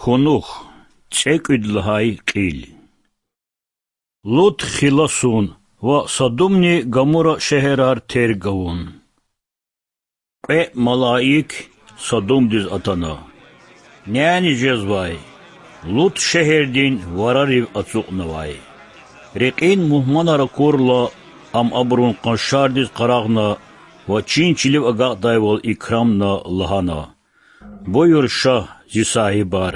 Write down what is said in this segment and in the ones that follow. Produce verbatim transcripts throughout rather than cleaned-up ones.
Кунух. ЦӀекӀуьд лагьай кьил. Лут хиласун ва Садумни Гамура шегьерар терг авун. Кьве малаик Садумдиз атана. Няни жезвай, Лут шегьердин варарив ацукьнавай. Рекьин мугьманар акурла, ам абурун къаншардиз къарагъна ва чин чилив агакьдайвал икрамна, лагьана: Буюр, шагь, зи сагьибар,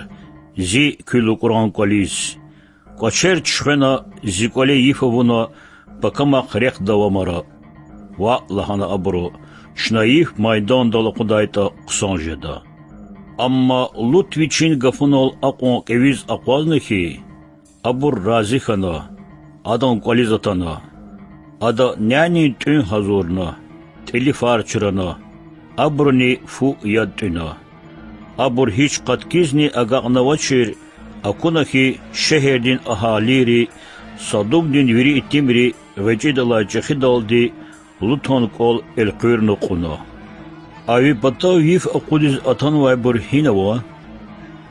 зи куь лукӀран кӀвализ. КӀвачер чуьхвена, зи кӀвале йиф авуна, пакамахъ рехъ давамара. Ваъ, лагьана абуру, чна йиф майдандал акъудайтӀа хъсан жеда. Амма Лут вичин гафунал акьван кьве виз акъвазна хьи, абур рази хьана, адан кӀвализ атана. Ада нянин тӀуьн гьазурна, тӀили фар чрана, абуруни фу яд тӀуьна. Абур гьич къаткизни агакьнавачир, акуна хьи, шегьердин агьалийри, Садумдин вири итимри гъвечӀидалай чӀехидалди Лутан кӀвал элкъуьрна кьуна. А ви патав йиф акъудиз атанвайбур гьинава?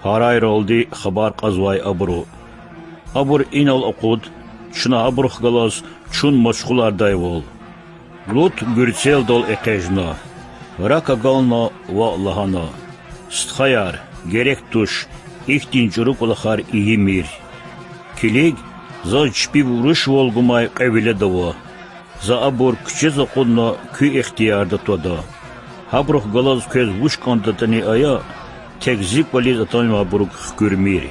Гьарайралди хабар кьазвай абуру. Абур инал акъуд, чна абурухъ галаз чун машгъулардайвал. Лут гуьрцелдал экъечӀна, рак агална ва лагьана: Стхаяр, герек туш, ихьтин чӀуру кӀвалахар ийимир. Килиг, заз чпив рушвал гумай кьве велед ава. За абур куьчез акъудна куь ихтиярда твада. Гьабурухъ галаз квез вуч кӀандатӀани ая, тек зи кӀвализ атанвайбурук хкуьрмир.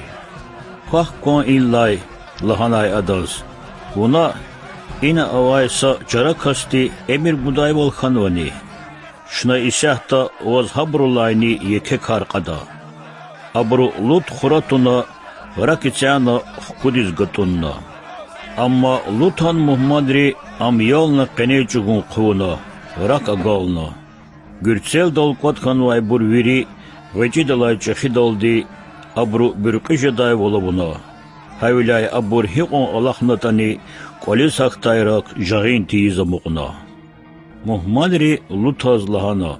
Квахь кван инлай, лагьанай адаз, вуна ина авай са чара касди эмир гудайвал хьанвани? Чна исятда ваз гьабурулайни еке кар кьада. Абуру Лут хура туна, рак эцягъна хкудиз гатӀунна. Амма Лутан мугьманри ам ялна къенез чӀугун хъувуна, рак агална. Гуьрцелдал кӀватӀ хьанвайбур вири гъвечӀидалай чӀехидалди абуру буьркьуь жедайвал авуна. Гьавиляй абур гьикьван алахънатӀани кӀвализ гьахьдай рак жагъин тийиз амукьна. Мугьманри Лутаз лагьана: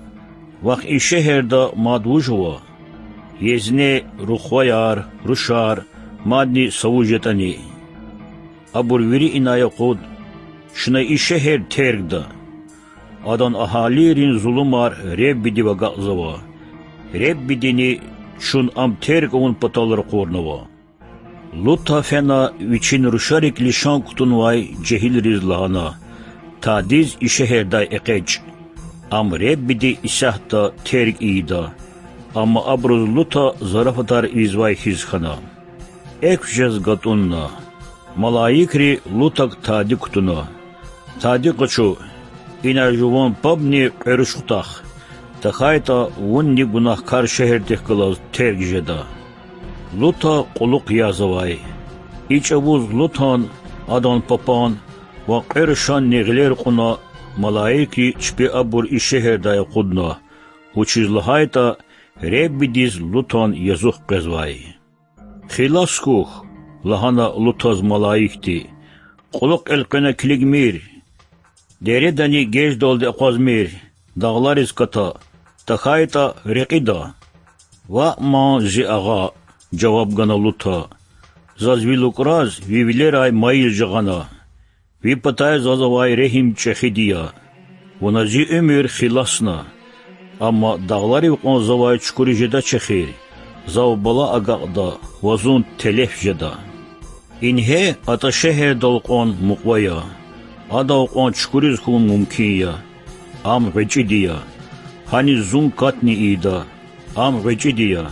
Вахъ и шегьерда мад вуж ава? Езне, рухваяр, рушар, мадни са вуж ятӀани. Абур вири инай акъуд: Чна и шегьер тергда. Адан агьалийрин зулумар Реббидив агакьзава. Реббидини чун ам терг авун патал ракъурнава. Лута фена вичин рушарик лишан кутунвай жегьилриз лагьана: Тадиз и шегьердай экъечӀ. Ам Реббиди исятда терг ийида. Амма абуруз Лута зарафатар ийизвай хьиз хьана. Экв жез гатӀунна. Малаикри Лутак тади кутуна: Тади къачу, ина жуван пабни кьве руш хутах, тахьайтӀа вунни гунагькар шегьердихъ галаз терг жеда. Лута кьулухъ язавай. И чӀавуз Лутан, адан папан ва кьве рушанни гъилер кьуна, малаикри чпи абур и шегьердай акъудна, вучиз лагьайтӀа Реббидиз Лутан язух къвезвай. Хилас хьухь, лагьана Лутаз малаикди, кьулухъ элкъвена килигмир, дередани геждалди акъвазмир, дагълариз ката, тахьайтӀа рекьида. Ваъ ман, зи агъа, жаваб гана Лута, заз ви лукӀраз ви вилерай майил жагъана. Ви патай заз авай регьим чӀехиди я. Вуна зи уьмуьр хиласна. Амма дагъларив кьван завай чукуриз жедач эхир, зав бала агакьда ва зун телеф жеда. Ингье атӀа шегьердал кьван мукьва я. Адал кьван чукуриз хьун мумкин я. Ам гъвечӀиди я. Гьаниз зун катни ийида. Ам гъвечӀиди я.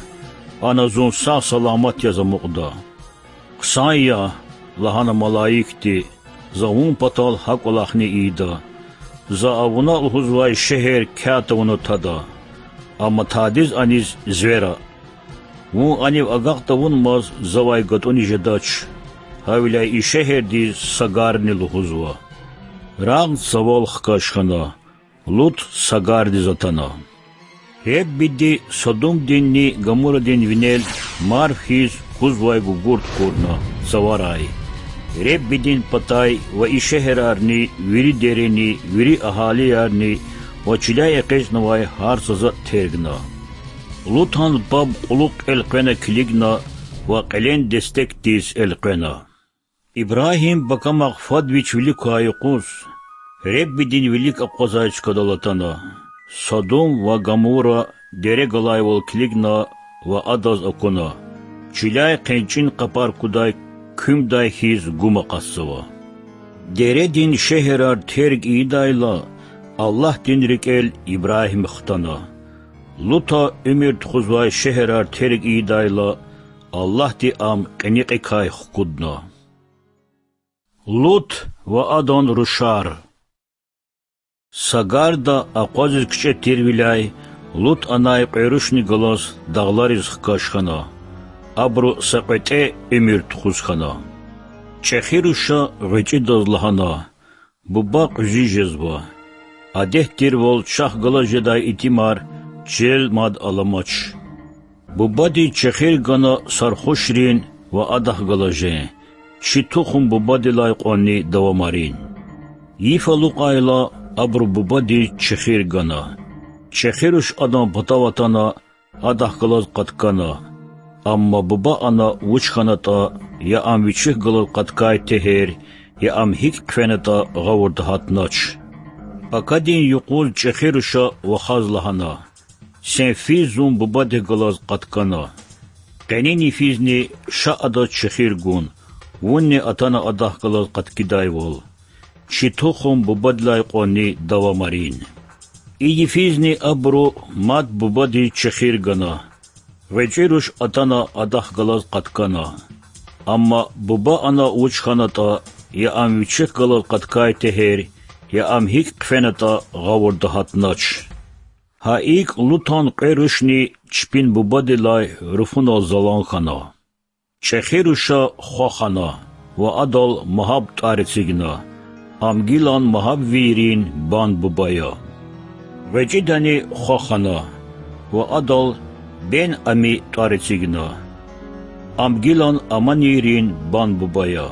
Ана зун сагъ-саламат яз амукьда. Хъсан я, лагьана малаикди, за вун патал гьа кӀвалахни ийида. За авуна лугьузвай шегьер кят авуна тада. Амма тадиз аниз звера. Вун анив агакь тавунмаз завай гатӀунни жедач. Гьавиляй и шегьердиз Сагарни лугьузва. Рагъд цавал хкаж хьана. Лут Сагардиз атана. Реббиди Содумдинни Гамурадин винел марф хьиз кузвай гугурт курна, цаварай. Реббидин патай ва и шегьерарни, вири дерени, вири агьалиярни ва чиляй экъечӀнавай гьар са затӀ тергна. Лутан паб кьулухъ элкъвена килигна ва кьилен дестекдиз элкъвена. Ибрагьим пакамахъ фад вич вилик квай юкъуз Худадин вилик акъвазай чкадал атана. Содом ва Гамура дере галайвал килигна ва адаз акуна, чиляй хъенчӀин къапар кудай куьмдай хьиз гум акъатзава. Дередин шегьерар терг ийидайла, Аллагьдин рикӀел Ибрагьим хтана. Лута уьмуьр тухузвай шегьерар терг ийидайла, Аллагьди ам кьиникьикай хкудна. Лут ва адан рушар. Са гарда акъвазиз кичӀе тирвиляй Лут анай кьве рушни галаз дагълариз хкаж хьана. Абуру са кьветӀе уьмуьр тухуз хьана. ЧӀехи руша гъвечӀидаз лагьана: Буба кьуьзуь жезва. Адет тирвал чахъ галаз жедай итимар чилел мад аламач. Бубади чехир гана сархушрин ва адахъ галаз жен, чи тухум бубадилай кьванни давамарин. Йиф алукьайла, абуру бубадиз чехир гана. Чехи руш адан патав атана, адахъ галаз къаткана. Амма буба ана вуч хьанатӀа, я ам вичихъ галаз къаткай тегьер, я ам гьикӀ хъфенатӀа гъавурда гьатнач. Пакадин юкъуз чӀехи руша вахаз лагьана: Сен физ зун бубадихъ галаз къаткана. Къенин йифизни ша адаз чехир гун, вунни атана адахъ галаз къаткидайвал. Чи тухум бубадилай кьванни давамарин. И йифизни абуру мад бубадиз чехир гана. ГъвечӀи руш атана адахъ галаз къаткана. Амма буба ана вуч хьанатӀа, я ам вичихъ галаз къаткай тегьер, я ам гьикӀ хъфенатӀа гъавурда гьатнач. Гьа икӀ Лутан кьве рушни чпин бубадилай руфунал залан хьана. ЧӀехи руша хва хана ва адал Магьаб тӀвар эцигна, ам гилан магьабвийрин бан-буба я. ГъвечӀидани хва хана ва адал Бен-Ами тӀвар эцигна, ам гилан аманийрин бан-буба я.